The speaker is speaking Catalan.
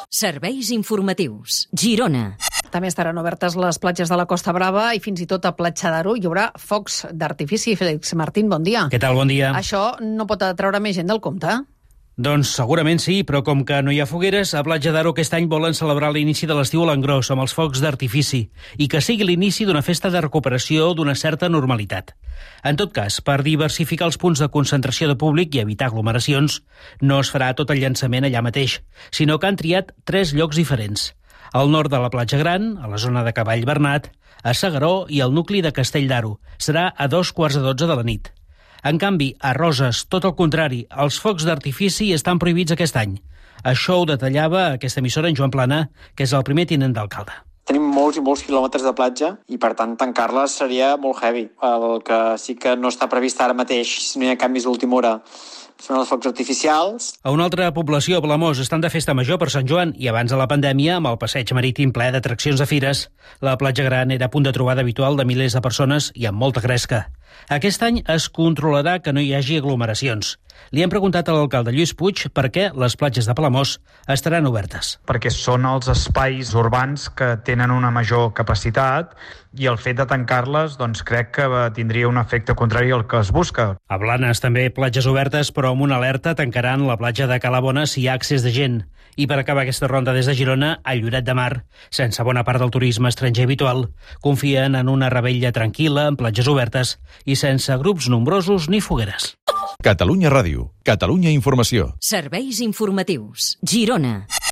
Serveis informatius. Girona. També estaran obertes les platges de la Costa Brava i fins i tot a Platja d'Aro hi haurà focs d'artifici. Félix Martín, bon dia. Què tal, bon dia. Això no pot atraure més gent del compte? Doncs segurament sí, però com que no hi ha fogueres, a Platja d'Aro aquest any volen celebrar l'inici de l'estiu a l'engròs amb els focs d'artifici i que sigui l'inici d'una festa de recuperació d'una certa normalitat. En tot cas, per diversificar els punts de concentració de públic i evitar aglomeracions, no es farà tot el llançament allà mateix, sinó que han triat 3 llocs diferents. Al nord de la Platja Gran, a la zona de Cavall Bernat, a S'Agaró i al nucli de Castell d'Aro. Serà a 2:15 de la nit. En canvi, a Roses, tot el contrari, els focs d'artifici estan prohibits aquest any. Això ho detallava aquesta emissora en Joan Plana, que és el primer tinent d'alcalde. Tenim molts i molts quilòmetres de platja i, per tant, tancar-les seria molt heavy. El que sí que no està previst ara mateix, si no hi ha canvis d'última hora, són els focs artificials. A una altra població, a Palamós, estan de festa major per Sant Joan i abans de la pandèmia, amb el passeig marítim ple d'atraccions de fires, la platja gran era punt de trobada habitual de milers de persones i amb molta gresca. Aquest any es controlarà que no hi hagi aglomeracions. Li hem preguntat a l'alcalde Lluís Puig per què les platges de Palamós estaran obertes. Perquè són els espais urbans que tenen una major capacitat i el fet de tancar-les doncs, crec que tindria un efecte contrari al que es busca. A Blanes també platges obertes, però amb una alerta tancaran la platja de Calabona si hi ha accés de gent. I per acabar aquesta ronda des de Girona, a Lloret de Mar, sense bona part del turisme estranger habitual, confien en una revetlla tranquil·la, amb platges obertes i sense grups nombrosos ni fogueres. Catalunya Ràdio, Catalunya Informació. Serveis informatius. Girona.